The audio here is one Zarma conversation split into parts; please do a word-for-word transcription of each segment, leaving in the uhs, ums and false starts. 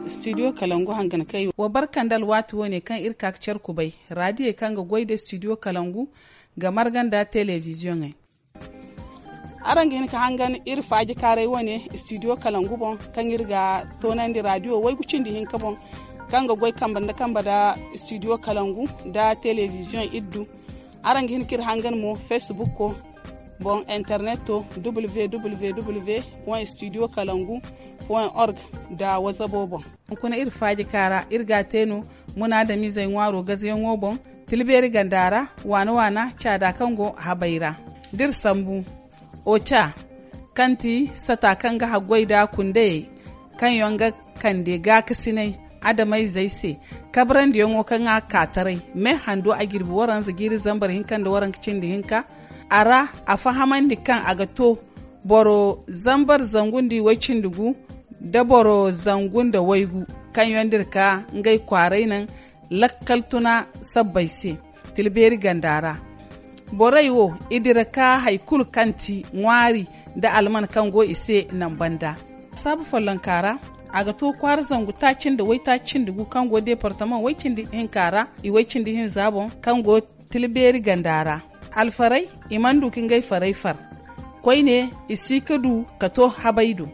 Studio kalangu hangan kay wa barkandal waati wo ne kaŋ iri ka ga care kubay raadiyey kaŋ ga goy nda studio kalangu ga marga nda telebiziyoŋey. Araŋ ga hin ka hangan iri faaji kaaray wane studio kalangu boŋ kaŋ iri ga toonandi raadiyo waygu cindi hinka boŋ kaŋ ga goy kambe nda kambe nda studio kalangu nda telebiziyoŋ iddu. Araŋ ga hin ka iri hangan mo facebook ko boŋ internet to www point studio kalangu point org nda wazabo boŋ. Hunkuna iri faaji kaara iri ga a te no munaadamizey ŋwaaro gazayaŋo boŋ, tilbeeri ganda ra waana waana caada kaŋ go habay ra. Da iri sambu oca kaŋ ti sata kaŋ ga haggoy nda kundayey kaŋ yaŋ ga kande gaakasinay adamayzey se. Kabrandiyaŋo kaŋ a ka taray me hando a jirbi waranza jiiri zambar hinka nda waranka cindi hinka. A ra a fahamandi kaŋ a ga to boro zambar zangu nda iway cindi gu nda boro zangu nda waygu kaŋ yaŋ da iri ka ngey kwaaray naŋ lakkal tuna sabbay se. Tilbeeri ganda ra borey wo i dira ka hari kulu kaŋ ti ŋwaari nda alman kaŋ go i se naŋ banda. Saabu follonka ra a ga to kwaara zangu taaci nda waytaaci cindi gu kaŋ go deepartamaŋ way cindi hinka ra iway cindi hinza boŋ kaŋ go tilbeeri ganda ra. Alfarey i mana du ka ngey farey far koyne i si ka du ka to habay do.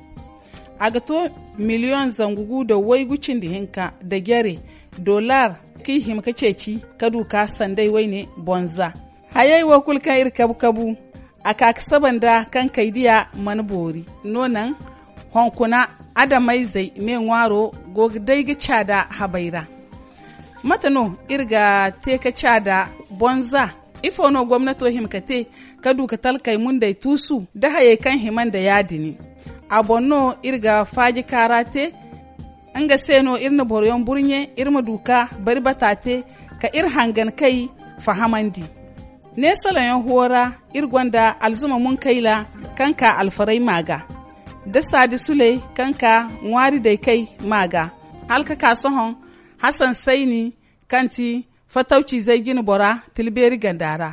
A ga to miliyoŋ zangu gu nda waygu cindi hinka nda jare dollar kaŋ i hima ka ceeci ka du ka sanday wayne boŋ za. Hayey wo kulu kaŋ iri kabu kabu a ka ga saba nda kaŋ kaydiya mana boori no naŋ hunkuna adamayzey me ŋwaaro go ga day ga caada habay ra. Mate no iri ga te ka caada boŋ za? Ifo no gomnato hima ka te ka du ka talkey mundey tuusu nda hayey kaŋ hima nda ya- din? A boŋ no iri ga faaji kaara te. Nga se no iri na boroyaŋ burɲe iri ma du ka bari bata te ka iri hangan kay fahamandi. Neesalaŋ yaŋ huwo ra iri gonda alzuma munkayla kaŋ ka alfaray ma ga da saadi suley kaŋ ka ŋwaari day kay ma ga hala ka ka sohõ hasan sayni kaŋ ti fatawci zay jine bora tilbeeri ganda ra.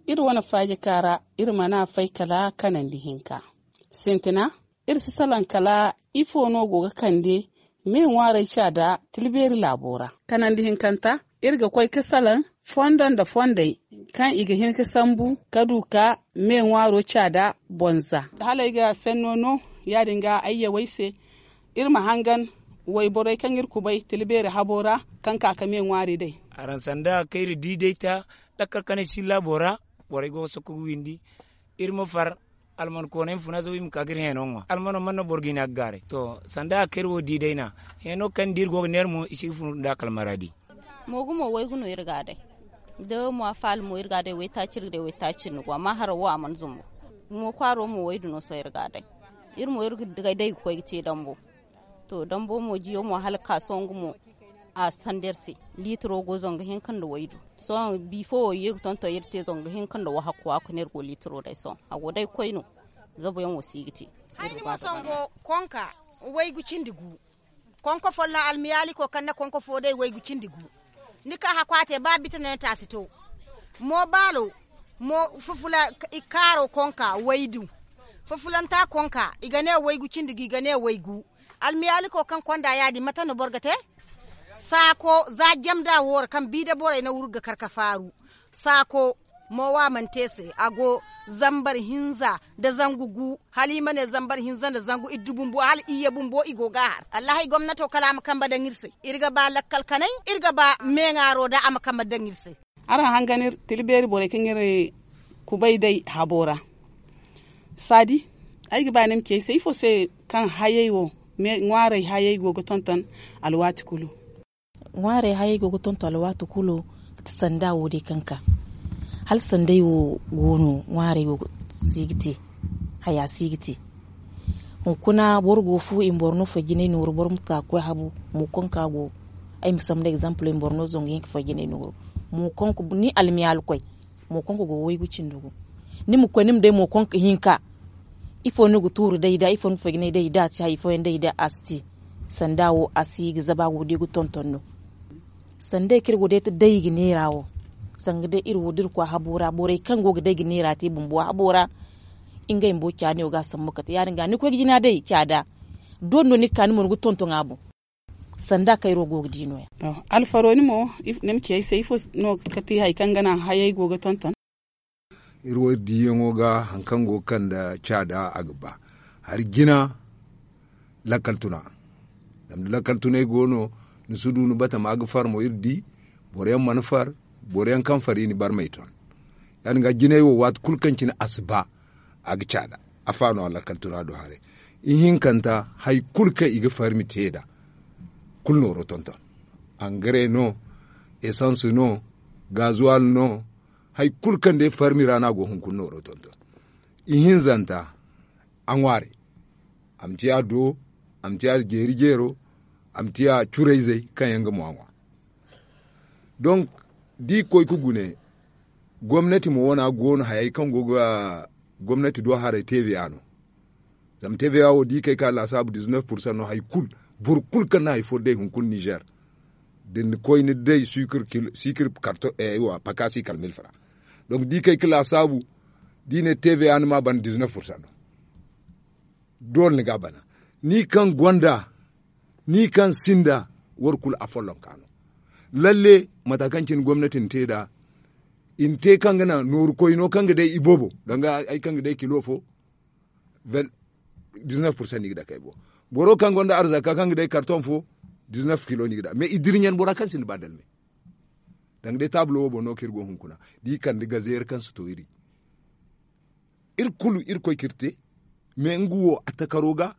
Iri wane faaji kaara iri mana fay kala kanandi hinka. Sintina iri si salaŋ kala ifo no go ga kande me ŋwaaray ca da tilbeeri laabo ra. Kanandi hinkanta iri ga koy ka salaŋ fondo nda fondey kaŋ i ga hin ka sambu ka du ka me ŋwaaro ca da boŋ za. Hala ay ga senno no ya- din ga ay yawey se iri ma hangan wayborey kaŋ iri kubay tilbeeri habo ra kaŋ ka ka me ŋwaari day. Araŋ sanda kayri di day ta lakkal kanay si laabo ra borey go ga sokko ga windi. Iri ma far almankoonay ma funa zabu i ma ka ga iri heeno ŋwa almano mana no boro ga i ne a ga gaaray to sanda a kaŋ iri wo di day na heeno kaŋ da iri go ga neera mo i si ga funu nda a kala maradi. Moogu mo waygu no iri ga a day da mo faala mo iri ga a day waytaaci iri ga day waytaaci nda gu amma haraw wo a mana zumbu. Mo kwaaro mo waydu no sohõ iri ga a day. Iri mo iri ga day ga koy ga te dambo. To dambo mo jiyo mo hala ga ka sohõ nga mo a sanda iri se. Liitiro go zangu hinka nda waydu. Sohõ bifo wo i ye ga tonton iri te zangu hinka nda wahakku a kuna iri go liitiro day sohõ a go day koy no. Zabu yaŋ wo si ga te. Hayni mo sango konka waygu cindi gu. Konko folloŋ almiyaaliko kaŋ na konko fo day waygu cindi gu. Ni ka hakku a te ba bita no ni taasi to. Mo baalo mo fufula i kaaro konka waydu. Fufulanta konka i ga ne waygu cindi gu i ga ne waygu. Almiyaaliko kaŋ konda ya- din mate no boro ga te. Saako za jamda wo ra kaŋ biida borey na wurgu ga kar ka faaru. Saako mo wa mana te se a go zambar hinza nda zangu gu. Hala i ma ne zambar hinza nda zangu iddu bumbo hala iyye bumbo i go ga a har allahi gomnato kala a ma kambe daŋ iri se. Iri ga ba lakkal kanay iri ga ba meeŋaaro da a ma kambe daŋ iri se. Araŋ hangan iri tilbeeri borey kaŋ iri kubay day habo ra. Saadi ay ga ba ni ma ci ay se ifo se kaŋ hayey wo ŋwaaray hayey go ga tonton alwaati kulu. Ŋwaarey hayey go ga tonton alwaati kulu ga ti sanda wo day kaŋ ka hala sanday wo go no ŋwaarey wo si ga te. Haya si ga te. Hunkuna boro go fu i ma boro no fay jinay nooru boro ma ka ga koy habu. Mo kaŋ ka go ay ma sambu da egzample i ma boro no zangu hinka fay jinay nooru. Mo kaŋ ni almiyaali koy mo kaŋ ka go ga waygu cindi gu. Ni ma koy ni ma day mo kaŋ ka hinka ifo no ga tuuru day da ifo no ga fay jinay day da a si hay ifo yaŋ day da a si te. Sanda wo a si ga zaba go day ga tonton no. Sanday kaŋ iri go day ga neera wo, zanga day iri wo da iri koy habo ra borey kaŋ go ga day ga neera te bumbo habo ra. Ngey bumbo caani wo ga a sambu kate ya- din ga ni koy ga jina day caada. Doole no ni ga ka ni mo ni ga tonton a boŋ. Sanda kaŋ iri wo go ga di no- ya. Alfaro ni mo, ni ma ci ay se ifo no ga ti hari kaŋ ga naŋ hayey go ga tonton? Iri wo iri diiyaŋo ga hari kaŋ go ga kande caada a ga ba hari jina. Lakkal tuna zama da lakkal tunay go no, ni si du ni batama ga far mo iri di. Boro yaŋ mana far. Boro yaŋ kaŋ far i na barmey ton. Ya- din ga jinay wo waati kulu kaŋ cine a si ba. A ga caada. Afa no a lakkal tuna do haray. Ihinkanta hari kulu kaŋ i ga farmi te nd'a kulu nooro tonton. Angare no, esans no, gazuwal no. Hari kulu kaŋ day farmi ra no a go hunkuna nooro tonton. Ihinzanta a ŋwaaray. A ma ciya do, a ma ciya jeeri jeero, a ma ciya curayzey kaŋ yaŋ ga mo a ŋwa. Donk da i koy ga gune, gomnati mo wane go no hayey kaŋ go ga gomnati do haray tv a no. Zama tv a wo da i kay ga laasaabu dizinef pursan no hari kulu. Boro kulu kaŋ na hari fo day hunkuna nizer, da ni koy ni day sikir karto. Pakaasi kala mil fara. Donk da i kay ga laasaabu da i ne tv a ni ma a bana dizinef pursan no. Doole ni ga a bana. Ni kaŋ gonda, ni kaŋ sinda, war kulu a follonka no. Lalle mata kaŋ cine gomnati na te nd'a, i na te kaŋ ga naŋ nooru koyno kaŋ ga day iboobo danga hari kaŋ ga day kilo fo. Dizinef pursan no i ga dake ay boŋ. Boro kaŋ gonda arzaka kaŋ ga day karton fo, dizinef kilo no i ga dake mais i dira ɲan bora kaŋ sinda ba dalme. Danga day taabulo wo boŋ no kaŋ iri go hunkuna da i kande gazeeri kaŋ si to iri. Iri kulu iri koy ka iri te. Mais nga wo a takaro ga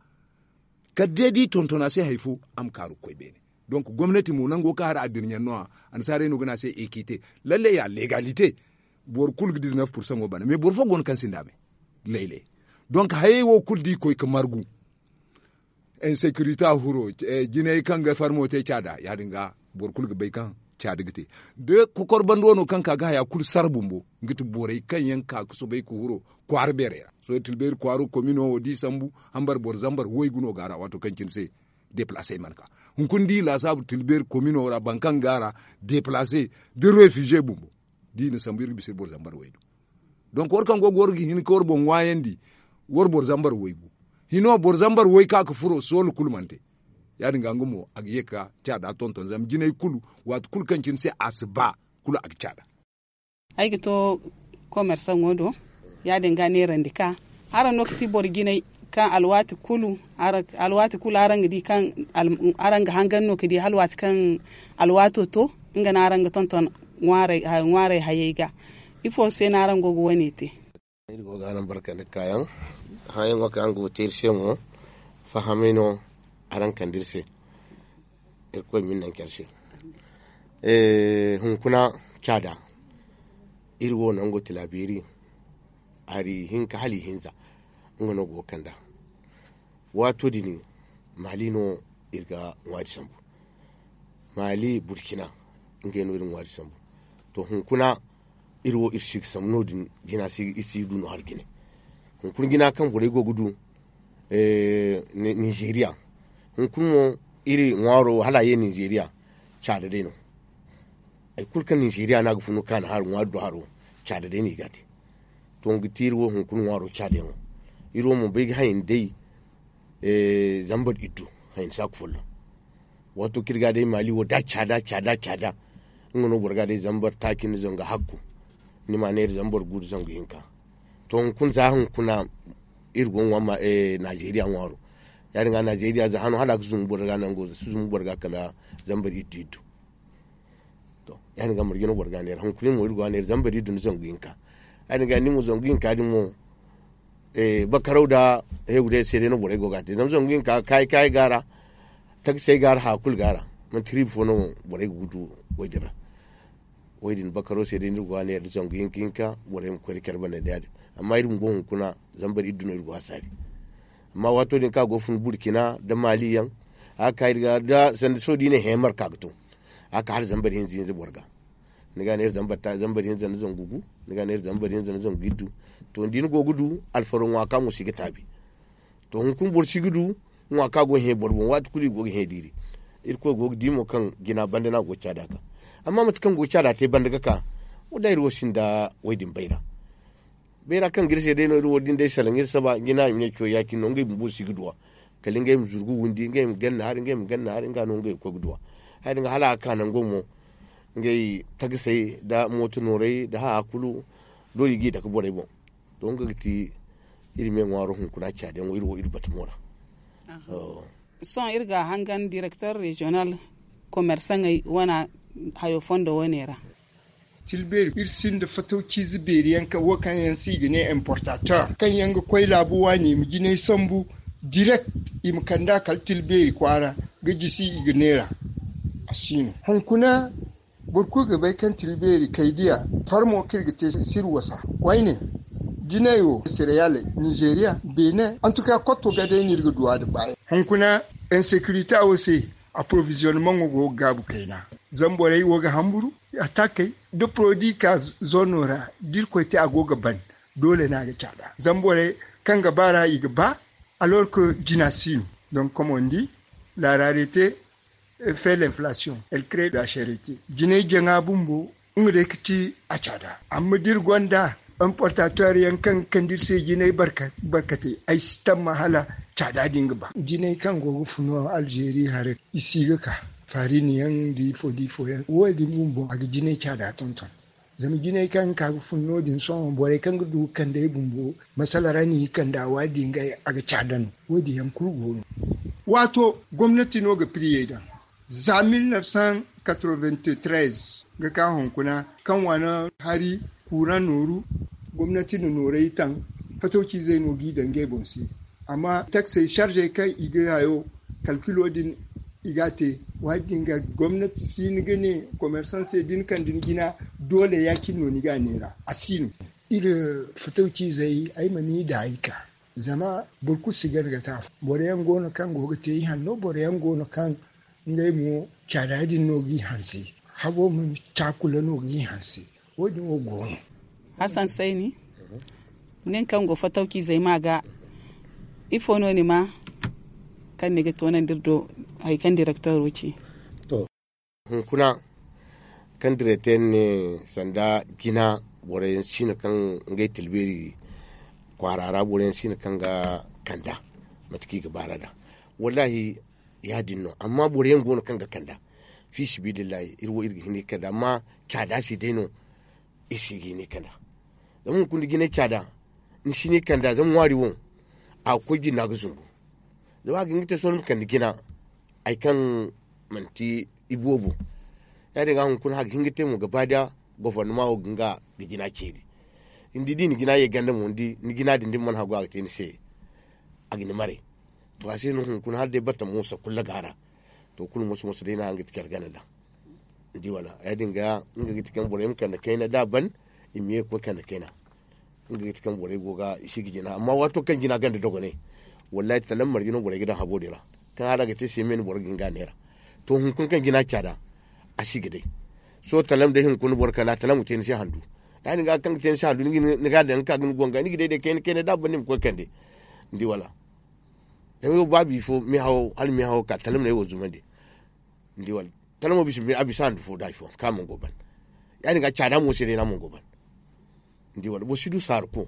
kala day da i tonton a se hari fo, a ma kaaru ga koy beene. Donk gomnati mo nango kaŋ hari a dira ɲan no- ya. Annasaarey no ga ne a se ekite. Lalle ya legalite. Boro kulu ga dizinef pursaŋo bana mais boro fo go no kaŋ sinda a me. Laylay. Donk hayey wo kulu da i koy ga margu, insekirite a furo, jinay kaŋ ga farmo te caada ya- din ga boro kulu ga bay kaŋ caada ga te. Da kokor bando no kaŋ ka ga haya kulu sara bumbo, nga ti borey kaŋ yaŋ ka ga soobay ga furo kwaara beerey ra. Sohõ tilbeeri kwaaro komino wo da i sambu, hambar boro zambar waygu no go a ra waato kaŋ cine se deplase mana ka. Hunkuna da i laasaabu tilbeeri komino ra boro kaŋ go a ra deplase da refize bumbo, da i na sambu iri ga bisa iri boro zambar waygu. Donk war kaŋ go ga war ga hin ga war boŋ ŋwaayandi, war boro zambar waygu. Hino boro zambar way ka ga furo soolu kulu mana te. Ya- din ga nga mo a ga ye ga caada tonton zama jinay kulu, waati kulu kaŋ cine se a si ba, kulu a ga caada. Ay ga to komersaŋo do, ya- din ga neerandi ka araŋ no ga ti boro jinay kaŋ alwaati kulu araŋ ga di kaŋ araŋ ga hangan no ga di hala waati kaŋ alwaato to, nga no araŋ ga tonton ŋwaaray hayey ga. Ifo se no araŋ go ga wane te? Iri go ga araŋ barka nda kaayaŋ. Hããyaŋo kaŋ araŋ go ga te iri se mo, fahamay no araŋ kande iri se. Irkoy ma iri naŋ care se. Hunkuna caada, iri wo nango tilabeeri hari hinka hala ihinza, nga no go ga kand'a. Waato din maali no iri ga ŋwaari sambu. Maali burkina, ngey no iri ŋwaari sambu. To hunkuna iri wo iri si ga sambu no- din jina iri si ga du no hari jine. Hunkuna jina kaŋ borey go ga du ninzeeriya, hunkuna mo iri ŋwaaro hala a ye ninzeeriya, caada day no. Hari kulu kaŋ ninzeeriya no a ga funu kaana hari ŋwaari do haro, caada day no i ga a te. To nga ga ti iri wo hunkuna ŋwaaro caada yaŋo. Iri wo mo bay ga hayni day zambar iddu, hayni saaku folloŋ. Waato kaŋ iri ga day maali wo da caada caada caada, nga no boro ga day zambar taaci nda zanga hakku. Ni ma neera zambar gu nda zangu hinka. To hunkuna za hunkuna iri go ga ŋwa ma nazeeriya ŋwaaro. Ya- din ga nazeeriya za hano hala a ga zumbu boro ga nango si zumbu boro ga kala zambar iddu iddu. To ya- din ga marje no boro ga neera hunkuna mo iri go ga neera zambar iddu nda zangu hinka. Ya- din ga ni mo zangu hinka din mo bakaraw nda heewu day se day no borey go ga a te zama zangu hinka kaayi kaayi go a ra. Taksey go a ra haya kulu go a ra. Manti riiba fo no borey ga gudu wo- din ra. Wo- din bakaro se day no iri go ga neera nda zangu hinka hinka borey ma koy nda care banda nda ya- din. Amma iri bumbo hunkuna zambar iddu no iri go a saari. Amma waato din kaŋ a go ga fun burkina nda maali yaŋ, a ga ka iri ga da sanda sohõ da i ne heemar ka ga to. A ga ka hala zambar hinza hinza boro ga. Ni ga a neera zambar hinza nda zangu gu, ni ga a neera zambar hinza nda zangu iddu. To ni di ni go ga du alfaro ŋwa ka mo si ga taabi. To hunkuna boro si ga du Ŋwa kaŋ a go ga hẽ boro boŋ waati kulu i go ga hẽ diiri. Irkoy go ga di mo kaŋ jina banda no a go ga caada ka. Amma mate kaŋ go ga caada te banda ga ka, wallaahi iri wo sinda woy din bayra. Bayra kaŋ ga iri se day no iri wo da ni day salaŋ iri saba jina i ma ne caw ya-cine no ngey bumbo si ga duw'a. Kala ngey ma zurgu windi ngey ma ganna hari ngey ma ganna hari nga no ngey ga koy ga duw'a. Hari din ga hala a ga ka nango mo ngey tagasey nda mooto noorey nda haya kulu doole i g'i dake borey boŋ. To nga ga ti iri me ŋwaaro hunkuna caadiyaŋo iri wo iri batamo ra. Sohõ iri ga a hangan direktor reziyonal komersaŋey wane hayo fondo wane ra. Tilbeeri iri sinda fatawciize beeri yaŋ kaŋ wo kaŋ yaŋ se i ga ne importateur kaŋ yaŋ ga koy laabu waani i ma jinay sambu direct i ma kand'a kala tilbeeri kwaara ga jisi i ga neera. A si no hunkuna boro kulu ga bay kaŋ tilbeeri kay diya farmo kaŋ iri ga te siri wasa wayne jinay wo sireyale nizeeriya beene antuka kotto ga day no iri ga duw'a da baayaŋ hunkuna insekirite wo se. Aproviziyonmaŋo go ga gaabu kayna zama borey wo ga hamburu atakey da porodi ka zono ra da irkoy te a go ga ban doole no a ga caada zama borey kaŋ ga ba ra i ga ba. Alors que jina si no donc comme on dit la rarete fait l'inflation elle crée la charité jinay jaŋa bumbo nga day ga ti a caada amma da iri gonda importateur yaŋ kaŋ ga kande iri se jinay barkate ay si tamma hala caada din ga ba jinay kaŋ go ga funu alzeeri haray i si ga ka farini yaŋ da ifo da ifo yaŋ wo- din bumbo a ga jinay caada tonton. Zama jinay kaŋ ga ka ga fun no- din sohõ borey kaŋ ga du ga kande ay bumbo masala ra no i ga kande a waadi ngey a ga caada no wo- din yaŋ kulu go no. Waato gomnati no ga piriyey daŋ za mille neuf cent quatre-vingt-treize ga ka hunkuna kaŋ waana hari kuuraŋ nooru gomnati na noorey taŋ fatawciizey no g'i daŋ ngey boŋ se. Amma taksey sarzey kaŋ i ga hayo kalkilo din i ga a te waati din ga gomnati si ni ga ne komersaŋ se da ni kande ni jina doole ya-cine no ni ga a neera a si no. Iri fatawciizey ay ma ni daayi ka zama boro kulu si gana ga te afo boro yaŋ go no kaŋ go ga te i hanno boro yaŋ go no kaŋ ngey mo caada din no g'i hanse habo ma caakula no g'i hanse. Wo- din wo go no. Hasan sayni nin kaŋ go fatawciizey ma ga ifo no ni ma kaŋ ni ga toonandi iri do hari kaŋ direktoro ci? Hunkuna kaŋ direteyaŋ ne sanda jina boro yaŋ si no kaŋ ngey tilbeeri kwaara ra boro yaŋ si no kaŋ ga kanda mate kaŋ i ga baara nd'a. Wallaahi ya- din no amma boro yaŋ go no kaŋ ga kanda fi sibiilillahi iri wo iri ga hin ga kanda amma caada se day no iri si ga hin ga kanda. Zama hunkuna da jinay caada ni si ni kanda zama ŋwaari wo a ga koy jinda ga zumbu zama a ga hin ga te sohõ ni ma kande jina hari kaŋ manti iboobo. Ya- din ga hunkuna hari ga hin ga te mo gaba da gofornama wo ga nga ga jina ceeri ni di da i na jina ye ganda mo ni di ni jina din da ni mana hagu a ga te ni se a ga ni maray. To a se no hunkuna hala day batta moosa kulu ga a ra. To kulu moso moso day no a ga ti care gana nd'a ni di wala ya- din ga nga ga ti kaŋ borey ma kande kayna da a ban i ma ye ga koy kande kayna. Nga ga ti kaŋ borey go ga i si ga jina amma waato kaŋ jina ganda dogonay wallaahi talam marje no borey ga daŋ habo din ra. Kaŋ hala ga te se me no boro ga hin ga a neera. To hunkuna kaŋ jina caada a si ga day. Sohõ talam day hunkuna boro kanda talam ga te ni se handu. Ya- din ga kaŋ ga te ni se handu ni ga a daŋ ga ka ga ni go nga ni ga day day kayna kayna da a ban ni ma koy kande. Ni di wala? Zama ay wo ba bifo meehawo hala meehawo ka talamney wo zumandi. Ni di wala? Talamo bisa a bisa handu fo da ifo ka man go ban. Ya- din ga caada mo se day no a man go ban. Ni di wala boro si du saaru ko.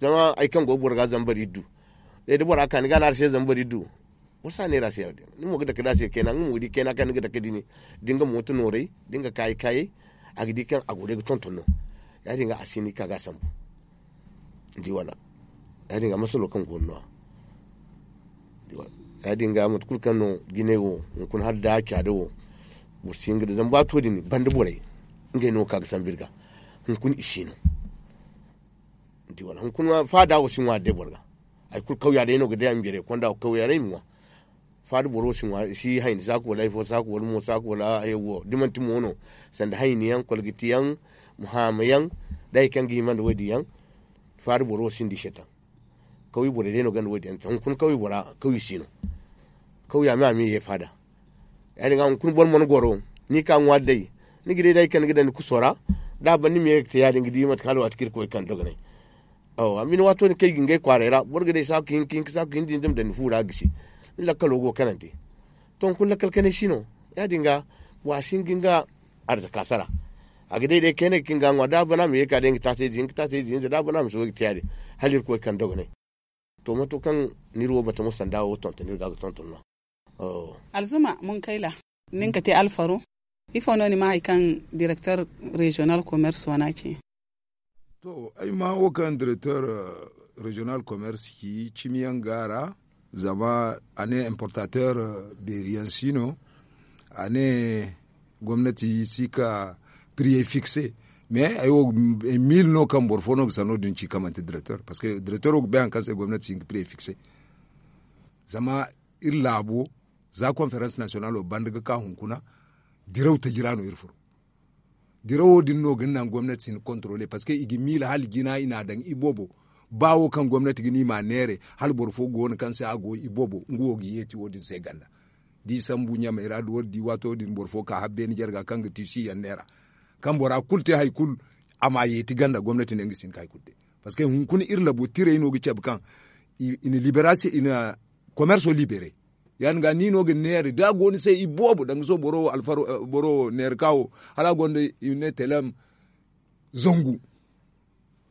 Zama hari kaŋ go boro ga zama bari iddu. Day da bora ka ni ga no a ra se zama bari iddu. Boro si a neera se ya- din ni mo ga dake da a se kayna nga mo ga di kayna kaŋ ni ga dake din da nga mooto nooray da nga kaayi kaayey. A ga di kaŋ a go day ga tonton no. Ya- din ga a si ni ka ga a sambu. Ni di wala? Ya- din ga masalo kaŋ go no- ya- din ga mate kulu kaŋ no jinay wo hunkuna hala da caada wo. Boro si hin ga da zama ba to din banda borey ngey no ga ka ga sambu iri ga. Hunkuna i si no. Ni di wala hunkuna faada wo si ŋwa da day boro ga. Hari kulu kawya day no ga day a ma jare konda wo kawya day ma ŋwa. Faada boro si ŋwa i si hayni saaku wala hari fo saaku wala mo saaku wala hari wo da manti mo no. Sanda hayni yaŋ kolgiti yaŋ muhaama yaŋ da hari kaŋ ga hima nda wo- din yaŋ. Faada boro wo sinda i se taŋ. Kawya borey day no gonda wo- din yaŋ hunkuna kawya bora kawya si no. Kawya me a ma ye faada. Ya- din ga hunkuna boro mana goro ni ka ŋwaari day. Ni ga day da hari kaŋ ni ga daŋ ni kuso ra da a ban ni ma ye ga te ya- din ga di mate kaŋ hala waati kaŋ iri koy kaŋ dogonay. Awa amma ni waato din kaŋ i ga ngey kwaaray ra boro ga day saaku hinka hinka saaku hinza hinza ma daŋ ni fu ra a gisi. Ni lakkalo go kanante. To hunkuna lakkal kanay si no. Ya- din ga wa si hin ga nga arzaka sara. A ga day day kayna ga hin ga ŋwa da a bana ma ye ga ka day nga taasay ize hinka taasay ize hinza da a bana ma si wo ga te ya- din. Hala irkoy kaŋ dogonay. To mato kaŋ ni iri wo bata mo sanda wo tonton iri ga ga tonton no. Alzuma munkayla, nin ka te alfaro. Ifo no ni ma hari kaŋ direktor reziyonal komers wana ce? To ay ma wo kaŋ direktor reziyonal komers ci cimi yaŋ ga a ra. Zama a ne importateur beeri yaŋ si no. A ne gomnati si ka priyey fikse. Mais ay wo mil no kaŋ boro fo no ga sanno din ci kaŋ manti direktor parceque direktor wo ga bay hari kaŋ se gomnati si hin ga priyey fikse. Zama iri laabo za konferans nasiyonalo banda ga ka hunkuna. Diraw taji ra no iri furo. Dirawo din no ga naŋ gomnati si hin ga kontorole parceque i ga miila hala jina i n'a daŋ i boobo. Ba wo kaŋ gomnati ga ne i m'a neere hala boro fo go no kaŋ se a go i boobo nga wo ga yeeti wo- din se ganda. Da i sambu ɲamey ra da war di waato din boro fo ka habbeeni jarga kaŋ ga ti si yaŋ neera. Kaŋ bora kulu te hari kulu a m'a yeeti ganda gomnati ne nga si hin ga hari kulu te. Parceque hunkuna iri labo tirey no ga cabe kaŋ i na liberasiyoŋ i na komerso libere. Ya- din ga ni no ga neera da a go ni se i boobo danga sohõ boro wo alfaro boro wo neera ka wo hala a gonda i ma ne telem zangu.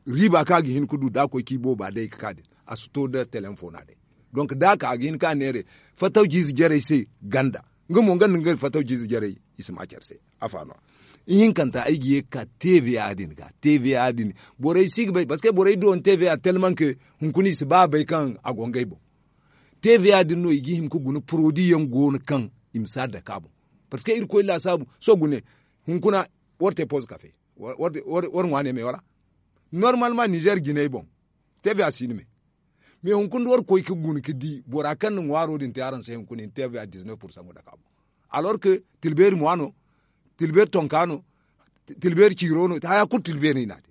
Riiba kaŋ a ga hin ga du da a koy ka i booba day ga ka din a si to nda telem fo no a day. Donk da a ka a ga hin ka neera fattaw jiize jarey se ganda. Nga mo nga nda nga fattaw jiize jarey i si ma care se. Afa no a ihinkanta ay ga ye ga ka tva din ga tva din borey si ga bay parceque borey du wani tva telmanke hunkuna i si ba a bay kaŋ a go ngey boŋ. Tva din no i ga hima ga guna porodi yaŋ go no kaŋ i ma si a dake a boŋ. Parceque irkoy laasaabu sohõ gune hunkuna war te poz kafe war ŋwa ne me wala. Normalement nizer jinay boŋ tva si ni me. Mais hunkuna da war koy ga guna ga di bora kaŋ na ŋwaaro din te araŋ se hunkuna i na tva diz neuf pursaŋo dake a boŋ. Alors que tilbeeri mo a no, tilbeeri tonka no, tilbeeri ciiro no haya kulu tilbeeri no i n'a te.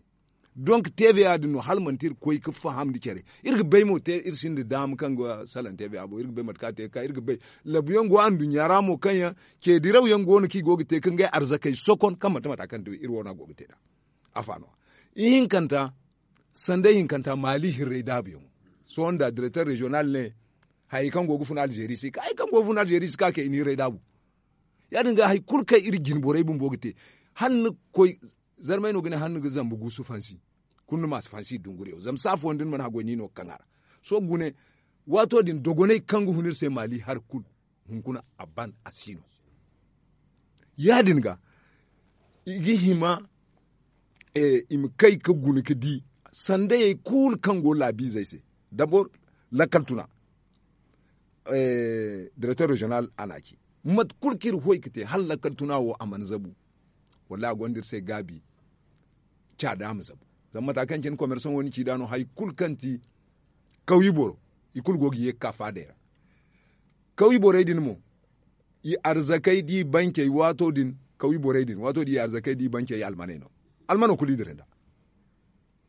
Donc tva ya- din no hala manti iri koy ga faham nda care. Iri ga bay mo te iri sinda daama kaŋ ga salaŋ tva boŋ iri ga bay mate kaŋ a te ga ka iri ga bay. Labu yaŋ go anduɲɲa ra mo kaŋ yaŋ ce diraw yaŋ go no kaŋ i go ga te ga ngey arzakey sokon kaŋ manti mata kaŋ iri wane a go ga te nd'a. Afa no a ihinkanta sanda ihinkanta maali hirray daabu yaŋo. Sohõ nda direkter reziyonal ne hayey kaŋ go ga fun alzeri si ka hayey kaŋ go ga fun alzeri si ka kay i na hirray daabu. Ya- din ga hari kulu kaŋ iri jine borey bumbo ga te hala ni ga koy zarmay no ga ne hala ni ga zambu guusu fansi kulu ni ma si fansi dunguriyaŋ zama saafo nda ni mana haggoy ni no ga kaŋ a ra. Sohõ gune waato din dogonay kaŋ ga hun iri se maali hari kulu hunkuna a ban a si no. Ya- din ga i ga hima i ma kay ga guna ga di sandayey kulu kaŋ go laabiizey se dabor lakkal tuna direkter reziyonal a n'a ci mate kulu kaŋ iri hoy ga te hala lakkal tuna wo a mana zabu. Wallahi a gonda iri se gaabi caada ma zabu. Zama mata kaŋ cine komersaŋo ni ci nd'a no hari kulu kaŋ ti kawye boro i kulu go ga ye ga ka faadey ra. Kawye borey din mo i arzakey da i bancey waato din kawye borey din waato din i arzakey da i bancey almaney no. Almano kulu i dira nd'a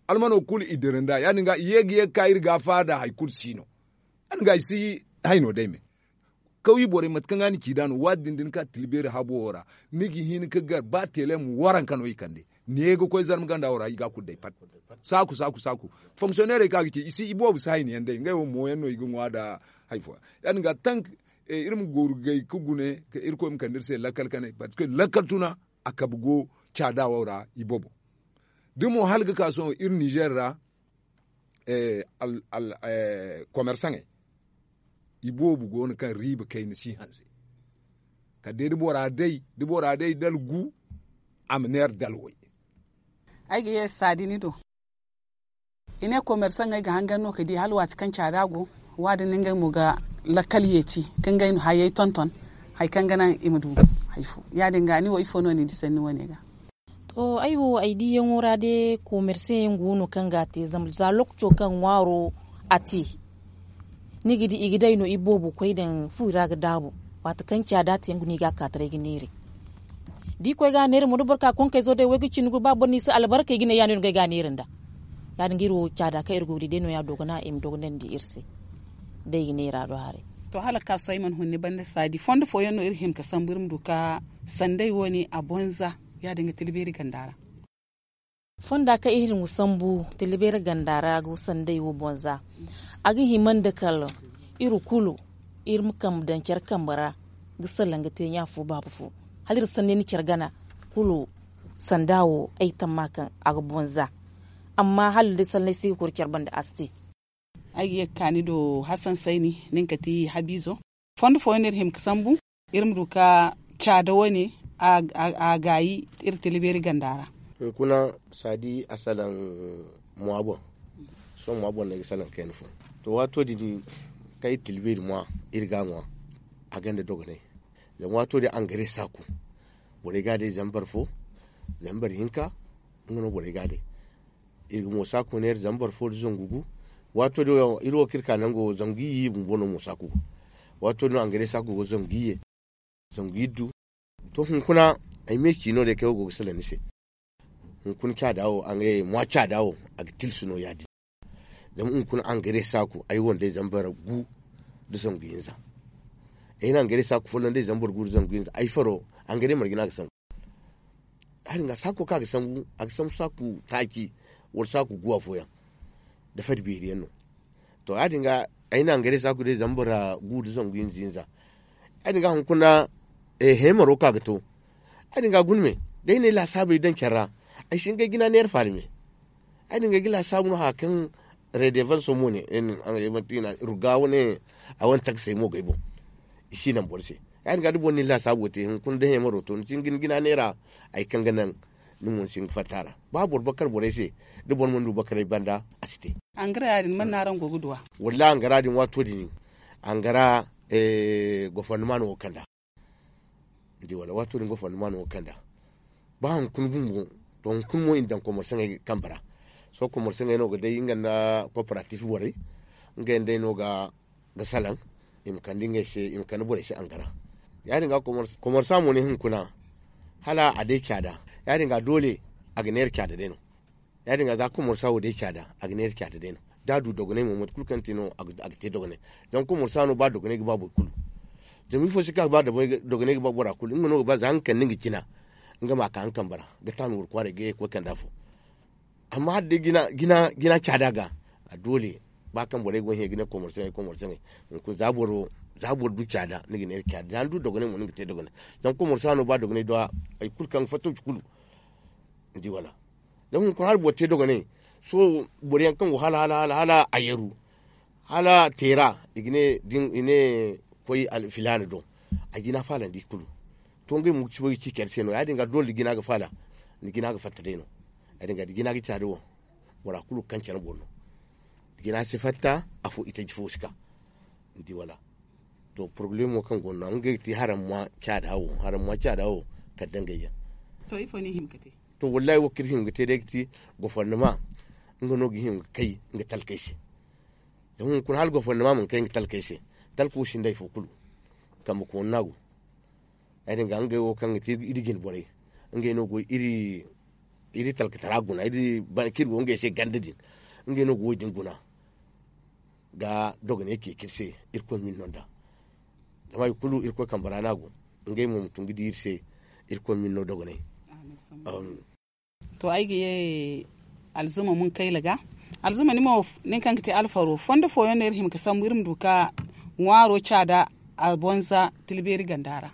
almano kulu i dira nd'a ya- din ga i ye ga ye ga ka iri ga faada hari kulu si no. Ya- din ga i si hayno day me. Kawye borey mate kaŋ ga ni ci nd'a no waati din da ni ka tilbeeri habo wo ra ni ga hin ga gar ba telem waranka no i kande. Ni ye ga koy zarma ganda wo ra i ga a kulu day pat. Saaku saaku saaku fonksiyoneerey kaŋ a ga ci i si i boobo si hayni yaŋ day ngey wo mo yaŋ no i ga ŋwa nda hari fooyaŋ. Ya- din ga tank iri ma goorugay ga gune ka irkoy ma kande iri se lakkal kanay parceque lakkal tuna a kabe go caada wo ra i boobo. Da mo hala ga ka sohõ iri nizer ra komersaŋey i boobo go no kaŋ riiba kayna si hanse. Kala day da bora day da bora day dala gu a ma neera dala way. Ay ga ye saadi ni do. I ne komersaŋey ga hangan no ga di hala waati kaŋ caada go. Waadin no ngey mo ga lakkal yeeti ka ngey hayey tonton hari kaŋ ga naŋ i ma du hari fo. Ya- din ga ni wo ifo no ni di sanni wo- ne ga? To ay wo ay diiyaŋo ra day komerse yaŋ go no kaŋ ga a te zama za lokaco kaŋ ŋwaaro a te ni ga di i ga day no i boobo koy daŋ fu i ra ga daabu. Waati kaŋ caada te yaŋ ga no i ga a ka taray ga neeray da i koy ga a neeray mo da boro ka konkayzo day way ga cindi guru ba boro no i si albarka i ga ne ya- din no ngey ga a neera nd'a. Ya- din ga iri wo caada kaŋ iri go ga di day no- ya dogonandi iri se. Day ga neera do haray. To hala ga ka sohõ ay mana hun ni banda saadi fondo fooyaŋ no iri hima ga sambu iri ma du ga sanday wo- ne a bonza. Ya- din ga tila beeri ganda ra. Fonda kaŋ iri hima ga sambu tila beeri ganda ra ga sanday wo bonza. A ga hima nda kala iri kulu iri ma kambe daŋ care kambe ra ga salaŋ ga te ɲa fo baaba fo, hala iri sanni ni care gana kulu. Sanda wo ay tamma kaŋ a ga bonza. Amma hala day sallay si ga koy care banda a si te. Ay ga ye ga ka ni do hasan sayni nin ka ti habiizo. Fondo fooyaŋ no iri hima ga sambu iri ma du ka caada wane a gaayi iri tila beeri ganda ra. Hunkuna saadi a salaŋ mwa boŋ. Sohõ mwa boŋ no ay ga salaŋ kayna fo. To waato din kaŋ iri tila beeri mwa iri ga a ŋwa a gonda dogonay. Zama waato din angare saaku borey ga a day zambar fo, zambar hinka. Nga no borey ga a day. Iri ga mo saaku neera zambar fo nda zangu gu. Waato din iri wo kaŋ iri ka nango zangu iyye bumbo no mo saaku go. Waato din no angare saaku go zangu iyye, zangu iddu. To hunkuna ay me ci no day kaŋ ay go ga salaŋ ni se. Hunkuna caada wo a ga ye mwa caada wo a ga tilsi no ya- din. Zama hunkuna angare saaku ay wo nda ay zambar gu nda zangu hinza. Ay na angare saaku folloŋ nda ay zambar gu nda zangu hinza ay faro angare marje no a ga sambu. Ya- din ga saako kaŋ a ga sambu a ga sambu saaku taaci wala saaku gu afooyaŋ nda fari beeri yaŋ no. To ya- din ga ay na angare saaku day zambar gu nda zangu hinza hinza. Ya- din ga hunkuna heemaro kaŋ a ga to. Ya- din ga guna me da ay na ay laasaabey daŋ care ra ay si hin ga ay jina neera faala me. Ya- din ga ay ga laasaabu no haya kaŋ redevanso mo ne, ruga wane a wane taksey mo ga ay boŋ. I si naŋ boro se. Ya- din ga da boro na ni laasaabo te hunkuna da heemaro to ni si hin ga ni jina neera. Hari kaŋ ga naŋ ni mo ni si hin ga fatta a ra. Ba boro bakar borey se da boro mana du bakaray banda a si te. Angara ya- din mana no araŋ go ga du a? Wallaahi angara din waato din angara gofondoma no go ga kand'a. Ni di wala waato din gofondoma no go ga kand'a. Ba hunkuna bumbo to hunkuna mo i na daŋ komorsaŋey kambe ra. Sohõ komorsaŋey no ga day nga nda kooperatif borey. Ngey nda ay no ga salaŋ i ma kande ngey se i ma kande borey se angara. Ya- din ga komorsa mo ne hunkuna hala a day caada. Ya- din ga doole a ga neera caada day no. Ya- din ga za komorsa wo day caada a ga neera caada day no. Da a du dogonay mo mate kulu kaŋ te no a ga te dogonay. Zama komorsa no ba dogonay ga ba boro kulu. Zama ifo se kaŋ a ga ba dogonay ga ba bora kulu nga no ga ba za nga kande nga jina nga ma ka nga kambe ra ga taanu wara kwaaray ga ye ga koy kande afo. Amma hala day jina caada ga a doole ba kaŋ borey go ga hẽ ga ne komorsaŋey komorsaŋey. Hunkuna za boro za boro du caada ni ga neera caada za ni du dogonay mo ni ga te dogonay. Zama komorsa no ba dogonay do hari kulu kaŋ ga fattawci kulu. Ni di wala? Zama hunkuna hala boro te dogonay sohõ boro yaŋ kaŋ go hala hala hala a yaru hala teera i ga ne da ni ne koy filaana do. A jina faalandi kulu to ngey mo ga ci care se no ya- din ga doole da jina ga faala ni jina ga fatta day no. Ya- din ga da jina ga caada wo bora kulu ga kaŋ care boro no. Da jina si fatta afo itaji fo si ka. Ni di wala? To porobalemo kaŋ go no ngey ga ti haramma caada wo haramma caada wo kala dangayyaŋ. To ifo no i hima ga te? To wallaahi wo kaŋ iri hima ga te day ga ti gofondoma nga no ga hima ga kay nga talkey se. Zama hunkuna hala gofondoma mana kay nga talkey se talko sinda hari fo kulu. Kambe koona no a go. Ya- din ga ngey wo kaŋ ga ti iri jine borey ngey no go iri talkatara guna kaŋ iri go ngey se ganda din. Ngey no go wo- din guna ga dogonay ceeci iri se. Irkoy ma iri no nd'a zama hari kulu irkoy kambe ra no a go. Ngey mo ma tun ga di iri se. Irkoy ma iri no dogonay. To ay ga ye alzuma munkayla ga. Alzuma ni mo nin kaŋ ga te alfaro fondo fooyaŋ no iri hima ga sambu iri ma du ka ŋwaaro caada a bonza tilbeeri ganda ra.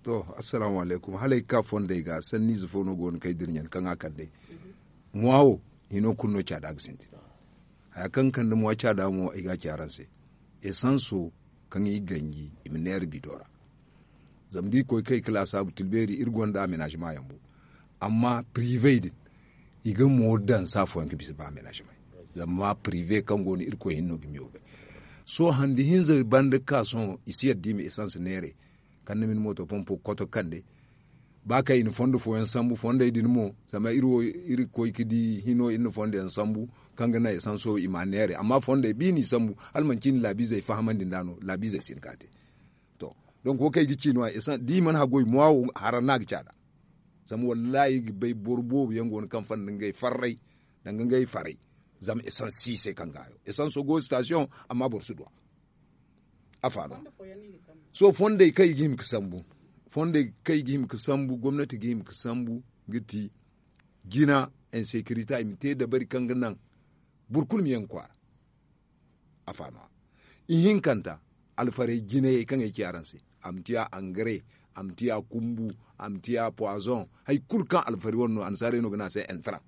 To assalamu alaykum hala ay ga ka fondey ga sanniize fo no go no kaŋ ay dirɲan kaŋ a kand'ey. Mwa wo hino kulu no caada ga sintin. Haya kaŋ ga kande mwa caada mo ay ga a ci araŋ se. Esanso kaŋ i ganji i ma neera bido ra. Zama da i koy kay ka laasaabu tilbeeri iri gonda amenaazema yaŋ bo. Amma pirive din i ga mo daŋ saafooyaŋ ga bisa ba amenaazema yaŋ. Zama pirive kaŋ go no irkoy hinne no ga miyo bay. Sohõ handi hinza banda ga ka sohõ i si yadda i ma esans neeray. Kande ma ni mooto pompo ga koto ga kande. Ba kaŋ i na fondo fooyaŋ sambu fondey din mo zama iri wo iri ga koy ga di hino iri na fondo yaŋ sambu kaŋ ga naŋ esanso i m'a neeray amma fondey ba i n'i sambu hala manci i na laabiizey fahamandi nd'a no laabiizey si hin ka te. To donk wo kaŋ ay ga ci no- ya da i mana haggoy mwa wo haraŋ no a ga caada. Zama wallaahi ay ga bay boro boobo yaŋ go no kaŋ fanda ngey farray danga ngey faray. Zama esans si i se kaŋ ga hayo esanso go sitasiyoŋ amma boro si du a. Afa no. Sohõ fondey kaŋ i ga hima ga sambu fondey kaŋ i ga hima ga sambu gomnati ga hima ga sambu ga ti jina insekirita i ma te dabari kaŋ ga naŋ boro kulu ma yaŋ ga kwaara. Afa no. Ihinkanta alfarey jinayey kaŋ ay ci araŋ se. A ma ti a angare, a ma ti a kumbu, a ma ti a poison, hari kulu kaŋ alfari wane no annasaarey no ga ne a se entra.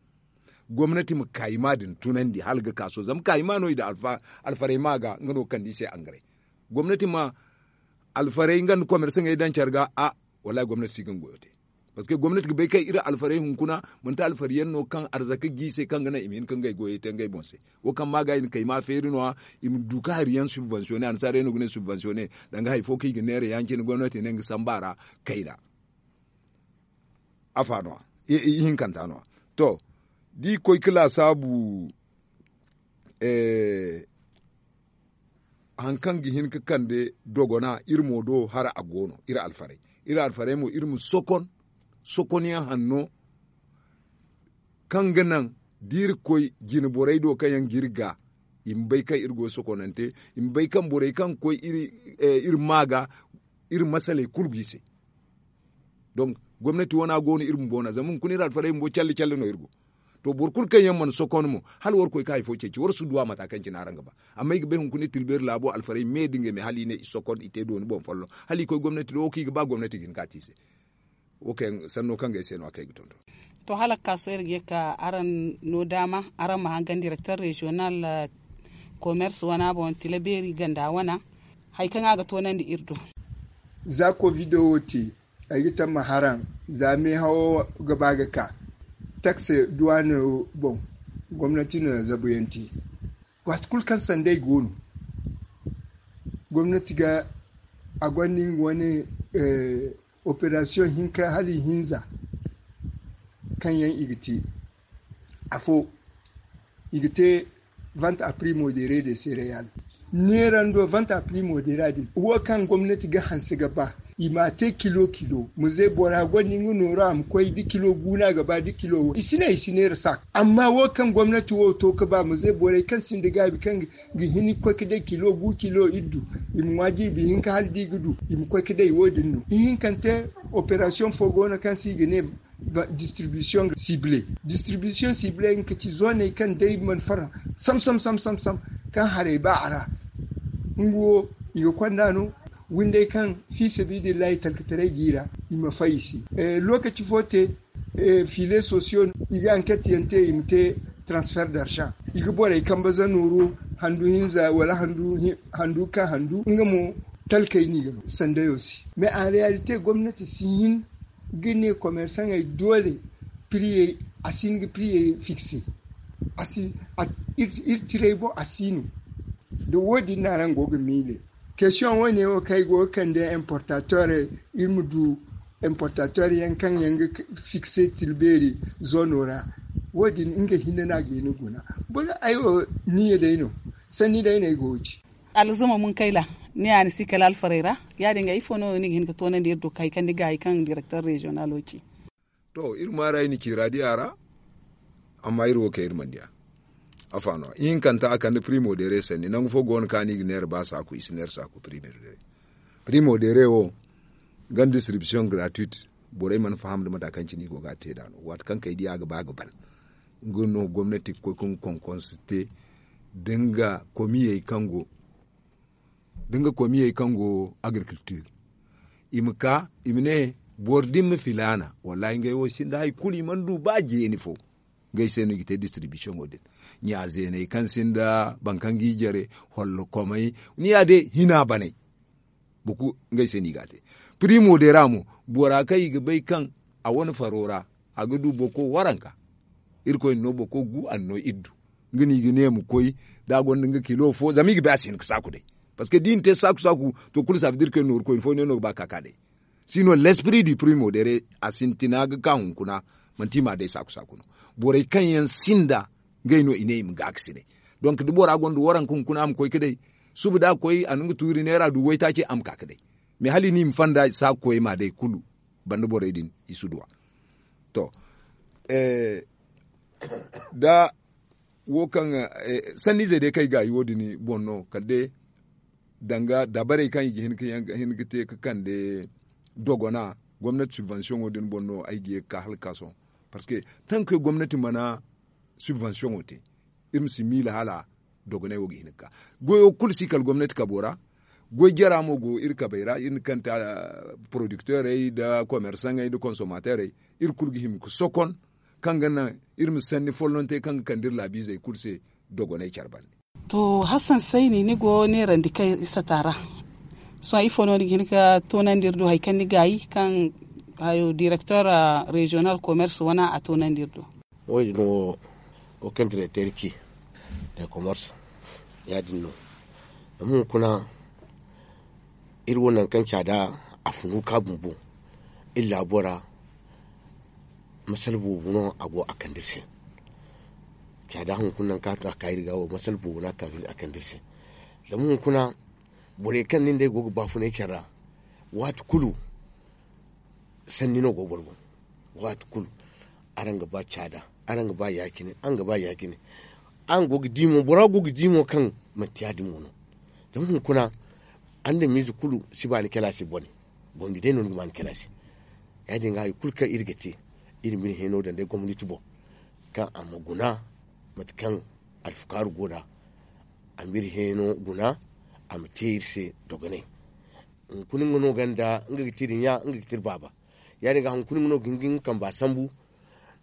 Gomnati ma kaayima din tunandi hala ga ka sohõ zama kaayima no i da alfarey ma ga nga no ga kande i se angare. Gomnati ma alfarey nga nda komersaŋey daŋ care ga a wallaahi gomnati si ga nga goyo te. Parceque gomnati ga bay kaŋ iri alfarey hunkuna manti alfari yaŋ no kaŋ arzaka ga i se kaŋ ga naŋ i ma hin ka ngey goyey te ngey boŋ se. Wo kaŋ ma ga i na kayma feeri no- ya i ma du ka hari yaŋ subvensiyoŋ ne annasaarey no ga ne subvensiyoŋ ne. Danga hari fo kaŋ i ga neera ya- cine gomnati ne nga samba ra kayna. Afa no- ya ihinkanta no- ya to, da i koy ka laasaabu hari kaŋ ga hin ka kande dogona iri mo do hara a go no iri alfarey. Iri alfarey mo iri ma sokon sokonyaŋ hanno kaŋ ga naŋ da iri koy jine borey do kaŋ yaŋ ga iri ga i ma bay kaŋ iri go sokonante. I ma bay kaŋ borey kaŋ ga koy iri ma ga iri masaley kulu ga i se. Donk gomnati wana go no iri bumbo wana zama hunkuna iri alfarey bumbo calle calle no iri go. To boro kulu kaŋ yaŋ mana sokon mo hala war koy ka hari fo ceeci war si duwa mata kaŋ cine araŋ ga ba. Amma i ga bay hunkuna iri tilbeeri laabo alfarey me da ngey me hala i ne i sokon i te dooni boŋ folloŋ hala i koy gomnati do wo kaŋ i ga ba gomnati ga hin ka te i se. Wo kaŋ sanno kaŋ ga ay se no- ya kaŋ ay ga tonton. To hala ga ka sohõ iri ga ye ga ka araŋ no daama araŋ ma hangan direkter reziyonal komers wana boŋ tila beeri ganda wana hari kaŋ a ga toonandi iri do. Za kovido wo te ay ga tamma haraŋ za meehawo ga ba ga ka takse duwaano boŋ gomnati no ya zabuyaŋ te. Waati kulu kaŋ sanday go no gomnati ga a gonda nga wane operasiyoŋ hinka hala ihinza kaŋ yaŋ i ga te afo i ga te vanta a primo de re de sereyal neerando vanta a primo de ra din wo kaŋ gomnati ga hanse ga ba i ma a te kilo kilo ma ze bora gonda nga nooru a ma koy da kilo gu no a ga ba da kilo wo i si ne i si neera saak amma wo kaŋ gomnati wo to ga ba ma ze borey kaŋ sinda gaabi kaŋ ga hin ga koy ga day kilo gu kilo iddu i ma ŋwa jirbi hinka hala da i ga du i ma koy ga day wo- din no ihinkante operasiyoŋ fo go no kaŋ se i ga ne distribisiyoŋ sible distribisiyoŋ sible nga ka ci zooney kaŋ day mana fara sam sam sam sam kaŋ haray ba a ra nga wo i ga konda no windey kaŋ fi sabidillahi talkataray ga i ra i ma fay i se. Lokaci fo te fiile sosiyo i ga anket yaŋ te i ma te transfer d'argent i ga borey kambe za nooru handu hinza wala handu ka handu nga mo talkey no i ga no sandayo se mais en realite gomnati si hin ga ne commerçantey doole priyey a si hin ga priyey fixe a si iri tirey boŋ a si no da wo- din no araŋ go ga miile question wane wo kaŋ ay go ga kande importateur iri ma du importateur yaŋ kaŋ yaŋ ga fixe tilbeeri zoono ra wo- din nga hinne no a ga hin ga guna boro ay wo niya day no sanni day no ay go ga ci alzuma munkayla ni ya ni si kala alfarey ra ya- din ga ifo no ni ga hin ga toonandi iri do ka hari kaŋ ni ga hari kaŋ directeur régionalo ci to iri maaray ni ci radiya ra amma iri wo kay iri mana diya afa no ihinkanta a kande primo dere sanni nangu fo go no kaŋ a no i ga neera ba saaku i si neera saaku primo dere primo dere wo ganda distribution gratuite borey mana faham nda mata kaŋ cine i go ga a te nd'a no waati kaŋ kay diya ga ba ga ban nga no gomnati ga koy ka nga konkonse te da nga komiyey kaŋ go da nga komiyey kaŋ go agriculture i ma ka i ma ne boro din ma filaana wallaahi ngey wo sinda hari kulu i mana du ba jeeni fo ngey se no i ga te distribution wo din ɲa zeeney kaŋ sinda boro kaŋ ga i jare hollokomey ni ya day hina baney boro kulu ngey se no i ga a te primo day ra mo bora kaŋ i ga bay kaŋ a wane faro ra a ga du boro waranka irkoy na no boro gu a na no iddu nga no i ga ne ma koy da a gonda nga kilo fo zama i ga bay a si hin ga saaku day parce que da i na te saaku saaku to kulu saabu da irkoy na nooru koyne fo ne no ga ba ga ka ka day si no l'esprit du primo day a sintina ga ka hunkuna manti i ma a day saaku saaku no borey kaŋ yaŋ sinda ngey no i ne i ma ga ga si day donc da bora gonda waranka hunkuna a ma koy ga day suba da a koy a na nga tuuri neera du waytaaci a ma ka ga day mais hala i ne i ma fanda saaku koyey ma day kulu banda borey din i si duw'a to da wo kaŋ sanniizey day kaŋ ay ga a yi wo- din boŋ no kala day danga dabarey kaŋ i ga hin ga te ga kande dogona gomnati subvention wo- din boŋ no ay ga ye ga ka hala ga ka sohõ parce que tanke gomnati mana subvention wo te iri ma si miila hala dogoney wo ga hin ga ka goyo kulu si kala gomnati kabo ra Goy jara mo go iri kabay ra, iri na kanta porodikterey nda komersaŋey nda konsomaterey. Iri kulu ga hima ga sokon kaŋ ga naŋ iri ma sanni follontey kaŋ ga kande iri laabiizey kulu se dogoney care bande. To, hassan sayni ni go neerandi kaŋ iri sata ra. Sohõ ifo no ni ga hin ga toonandi iri do hari kaŋ ni gaayi kaŋ hayo direkter reziyonal komers wana a toonandi iri do? Wo- din wo wo kaŋ direkter ci da komers ya- din no. Zama hunkuna iri wo nangu kaŋ caada a funu ka bumbo iri laabo ra. Masala boobo no a go a kande iri se. Caada hunkuna nangu kaŋ a ka iri ga wo masala boobo no a kande iri se. Zama hunkuna borey kaŋ nin day go ga baafunay care ra waati kulu sanni no go boro boŋ. Waati kulu araŋ ga ba caada, araŋ ga ba ya- cine araŋ ga ba ya- cine. Araŋ go ga di mo bora go ga di mo kaŋ manti ya- din mo no. Zama hunkuna andamiize kulu si ba ni kala se bone. Gomni day no ni ga ma ni kala se. Ya- din ga hari kulu kaŋ iri ga te iri ma iri hẽeno daŋ day gomnati boŋ kaŋ a ma guna mate kaŋ alfukaaru go nd'a. A ma iri hẽeno guna a ma te iri se dogonay. Hunkuna nga no ganda nga ga ti iri ɲa nga ga ti iri baaba. Ya- din ga hunkuna nga no ga hin ga nga kamba sambu.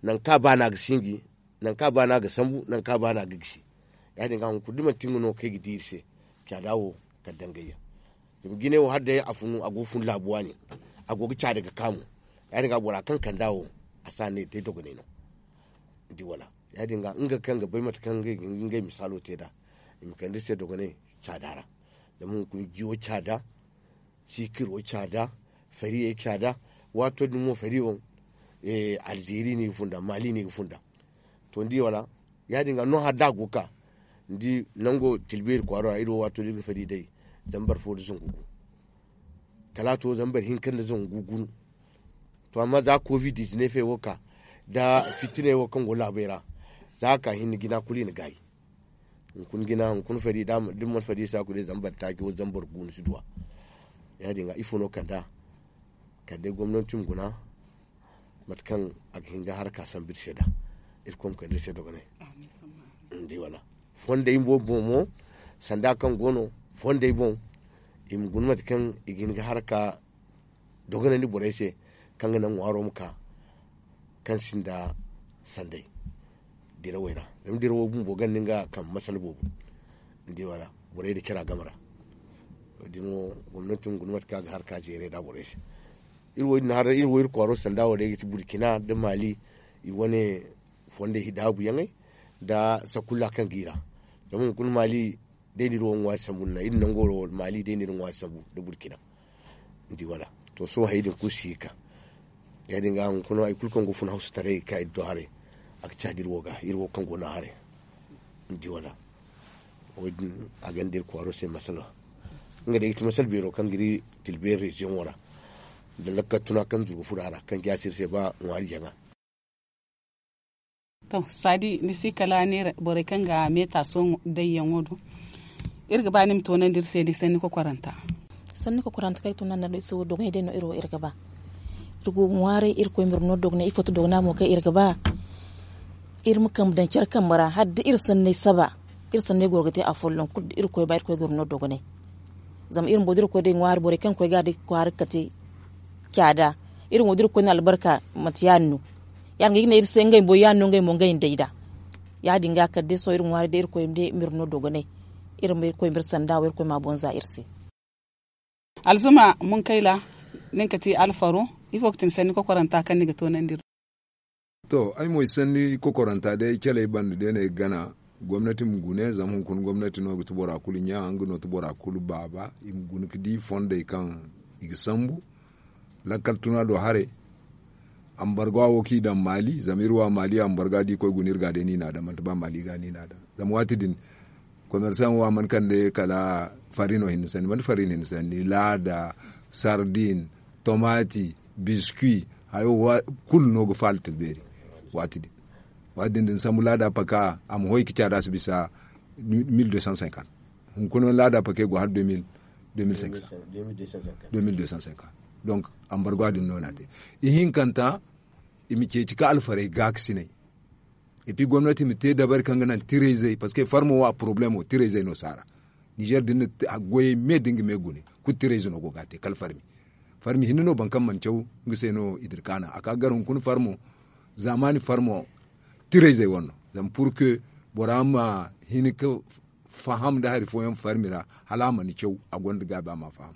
Nangu kaŋ a ba no a ga sinji. Nangu kaŋ a ba no a ga sambu nangu kaŋ a ba no a ga gisi. Ya- din ga hunkuna da manti nga no kaŋ ay ga di iri se caada wo kala dangayyaŋ. Zama jinay wo hala day a funu a go ga fun laabu waani a go ga caada ga ka mo. Ya- din ga bora kaŋ kand'a wo a si a ne day dogonay no. Ni di wala? Ya- din ga nga kaŋ ga bay mate kaŋ ngey ga hin ga ngey misaalo te nd'a i ma kande iri se dogonay caada ra. Zama hunkuna jiyo caada, siikiro caada, fariyey caada. Waato din mo fari wo alzeeri no i ga funda maali no i ga funda. To ni di wala? Ya- din ga no hala da a go ga ka ni di nango tilbeeri kwaaro ra iri wo waato da iri ga fari day zambar fo nda zangu gu. Kala a to zambar hinka nda zangu gu gunu. To amma za covid dizineefey wo ka nda fitiney wo kaŋ go laabey ra za a ka hinne jina kulu i na gaayi. Hunkuna jina hunkuna fari da ni mana fari i si a kulu day zambar taaci wo zambar gu ni si du a. Ya- din ga ifo no kand'a kala day gomnanti ma guna mate kaŋ a ga hin ga haraka sambu iri se nd'a. Irkoy ma kande iri se dogonay. Ni di wala? Fondey boobo boŋ mo sanda kaŋ go no fondey boŋ i ma guna mate kaŋ i ga hin ga haraka dogonandi borey se kaŋ ga naŋ ŋwaaro ma ka kaŋ sinda sanday dirawey ra. Zama dirawo bumbo ganda nga kambe masala boobo. Ni di wala? Borey da cara game ra. Wo- din wo gomnanti ma guna mate kaŋ a ga haraka zeeray nd'a borey se. Iri wo iri na haray iri wo iri kwaaro sanda wo day ga ti burkina nda maali i wane fondey daabuyaŋey nda sakulla kaŋ ga i ra. Zama hunkuna maali day no iri wo ŋwaari sambu nda iri nango wo maali day no iri ŋwaari sambu nda burkina. Ni di wala? To sohõ hayey din kulu si ga ka. Ya- din ga hunkuna hari kulu kaŋ go funa hawsataray ga ka iri do haray a ga caadi iri wo ga iri wo kaŋ go no haray. Ni di wala? Wo- din a gonda iri kwaaro se masala. Nga day ga ti masala beero kaŋ ga iri tilbeeri reziyoŋo ra nda lakkal tuna kaŋ zuru ga furo a ra kaŋ jaasi iri se ba ŋwaari jaŋa. To saadi ni si kala neera borey kaŋ ga meeta sohõ dayyaŋo do. Iri ga ba ni ma toonandi iri se ni sanni kokoranta. Sanni kokoranta kaŋ ay tun nanda no iri se wo dogonay day no iri wo iri ga ba. Iri go ga ŋwaaray irkoy ma iri no dogonay ifo ti dogona mo kaŋ iri ga ba. Iri ma kambe daŋ care kambe ra hala da iri sanney saba. Iri sanney goro ga te afolloŋ kulu da irkoy ba irkoy ga iri no dogonay. Zama iri mo da irkoy day ŋwaari borey kaŋ ga koy ga day kwaara ga kate caada. Iri mo da irkoy na albarka manti ya- din no. Ya- din ga ay ga ne iri se ngey bumbo ya- din no ngey mo ngey nda ay nd'a. Ya- din ga kala day sohõ iri ŋwaaray day irkoy ma day ma iri no dogonay. Iri ma irkoy ma iri sanda wo irkoy ma a boŋ za iri se. Alzuma munkayla, nin ga ti alfaro. Ifo ga ti ni sanni kokoranta kaŋ ni ga toonandi iri? To ay mo ay sanni kokoranta day caley banda day no ay ga gana. Gomnati ma gune zama hunkuna gomnati no ga ti bora kulu ɲa nga no ti bora kulu baaba. I ma guna ga di fondey kaŋ i ga sambu lakkal tuna do haray. Ambarga wo kaŋ i daŋ maali zama iri wo a maali ambarga da i koy guna iri ga day no i n'a daŋ manti ba maali ga no i n'a daŋ. Zama waati din komersaŋ wo a mana kande kala farino hinne sanni manti farino hinne sanni laada, sardin, tomati, biskuwi, hayo kulu no ga faala tilbeeri. Waati din waati din da ni sambu laada paka a ma hoy ga caada si bisa mil deux cent cinquante. Hunkuna laada paka go hala deux mil cinq cents. Deux mil deux cent cinquante. Donc ambargo din no no a te. Ihinkanta i ma ceeci ka alfarey gaakasiney. Et puis gomnati ma te dabari kaŋ ga naŋ tirayzey parce que farmo wo a problemo tirayzey no si a ra. Nizer din na goyey me da nga me gune kulu tirayze no go ga a te kala farmi. Farmi hinne no boro kaŋ mana caw nga se no i dira kaana a ka gar hunkuna farmo zaamaani farmo tirayzey wane no. Zama pur ke bora ma hin ga faham nda hari fooyaŋ farmi ra hala a mana caw a gonda gaabi a ma a faham.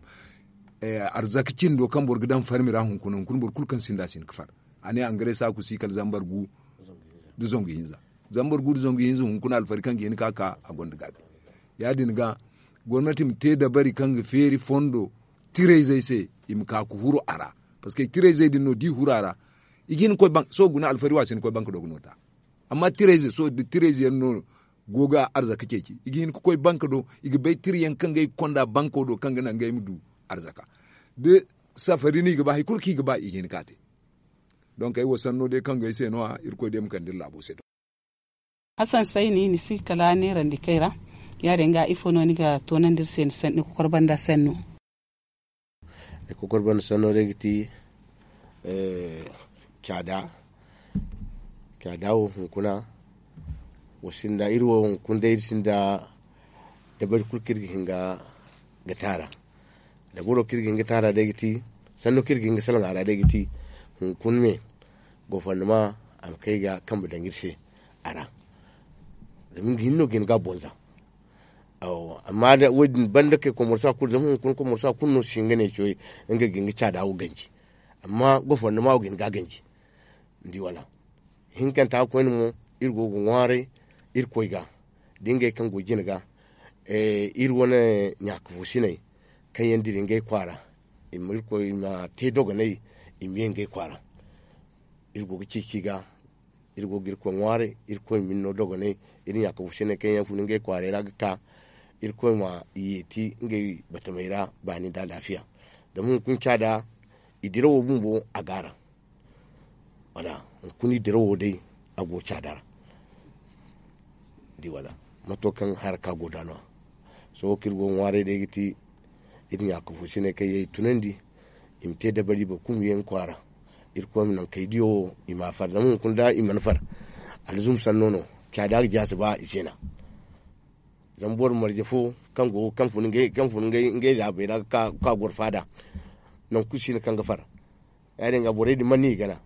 Arzaka cindo kaŋ boro ga daŋ farmi ra hunkuna hunkuna boro kulu kaŋ sinda a si hin ga far. A ne angare saaku si kala zambar gu nda zangu hinza zambar gu nda zangu hinza hunkuna alfari kaŋ ga hin ga ka a gonda gaabi. Ya- din ga gomnati ma te dabari kaŋ ga feeri fondo tirayzey se i ma ka ga huru a ra. Parceque tirayzey din no da i huru a ra i ga hin ga koy banka sohõ guna alfari wo a si hin ga koy banka do ga no ta. Amma tirayze sohõ da tirayze yaŋ no go ga arzaka ceeci i ga hin ga koy banka do i ga bay tira yaŋ kaŋ ga ay ga konda banko do kaŋ ga naŋ ga ay ma du arzaka. Da safari no i ga ba hari kulu kaŋ i ga ba i ga hin ga a te. Donk ay wo sanno day kaŋ go ay se no- ya irkoy day ma kande iri laabo se. Hasan sayni ni si kala neerandi kay ra. Ya- din ga ifo no ni ga toonandi iri se ni kokor banda sanno? Ay kokor banda sanno day ga ti caada. Caada wo hunkuna wa sinda iri wo hunkuna day iri sinda dabari kulu kaŋ iri ga hin ga taara. Dabaro kaŋ iri ga hin ga taara day ga ti sanno kaŋ iri ga hin ga salaŋ a ra day ga ti hunkuna me gofondoma a ma kay ga kambe daŋ iri se a ra. Zama nga hinne no ga hin ga a bonza. Amma da wo- din banda kay komorsa kulu zama hunkuna komorsa kulu no si hin ga ne cawey nga ga hin ga caada wo ganji. Amma gofondoma wo ga hin ga a ganji. Ni di wala? Hinkanta koyne mo iri go ga ŋwaaray irkoy ga da ngey kaŋ go jine ga. Iri wane ɲaaka fo siney kaŋ yaŋ dira ngey kwaara i ma irkoy i ma te dogonay i ma ye ngey kwaara. Iri go ga ceeci ga iri go ga irkoy ŋwaaray irkoy ma ni no dogonay. Iri ɲaaka fo siney kaŋ yaŋ fun ngey kwaaray ra ga ka irkoy ma i yeeti ngey batamey ra baani nda alaafiya. Zama hunkuna caada i dirawo bumbo a go a ra. Wala hunkuna i dirawo day a go caada ra. Di wala mato kaŋ haraka go da no- ya sohõ kaŋ iri go ga ŋwaaray day ga ti iri ɲaaka fo siney kaŋ yaŋ i tunandi i ma te dabari boro kulu ma ye nga kwaara. Irkoy ma naŋ kay diyo wo i ma a far zama hunkuna da i mana far alzum sanno no caada ga jaasi ba i se na. Zama boro marje fo kaŋ go kaŋ fun ngey zaabey ra ga ka goro faada. Nangu kulu si no kaŋ ga far ya- din ga borey din mana no i gana.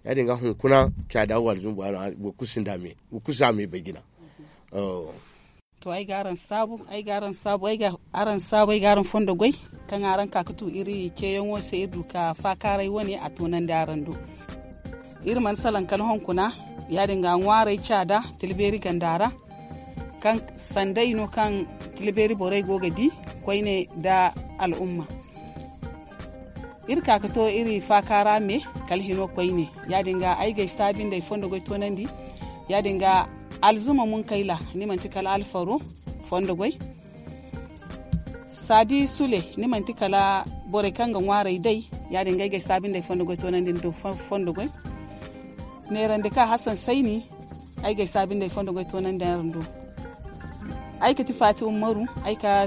Ya- din ga hunkuna caada wo alzum boro kulu si no a me boro kulu si a me bay jina. To ay ga araŋ saabu ay ga araŋ saabu ay ga araŋ fondo goy kaŋ araŋ ka ga tu iri ceeyaŋo se iri du ka faakaaray wane a toonandi araŋ do. Iri mana salaŋ kala hunkuna ya- din ga ŋwaaray caada tila beeri ganda ra kaŋ sanday no kaŋ tila beeri borey go ga di koyne nda al'umma. Iri ka ga to iri faakaara me kala hino koyne ya- din ga ay ga ay saabi nda ay fondo goy toonandi. Ya- din ga alzuma munkayla ni manti kala alfaro fondo goy. Saadi sule ni manti kala borey kaŋ ga ŋwaaray day. Ya- din ga ay ga ay saabi nda ay fondo goy toonandi ni do fondo goy. Neerandi ka hasan sayni ay ga ay saabi nda ay fondo goy toonandi araŋ do. Ay ga ti faati ummaru ay ka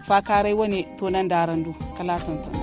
faakaaray wane toonandi araŋ do. Kala a tonton.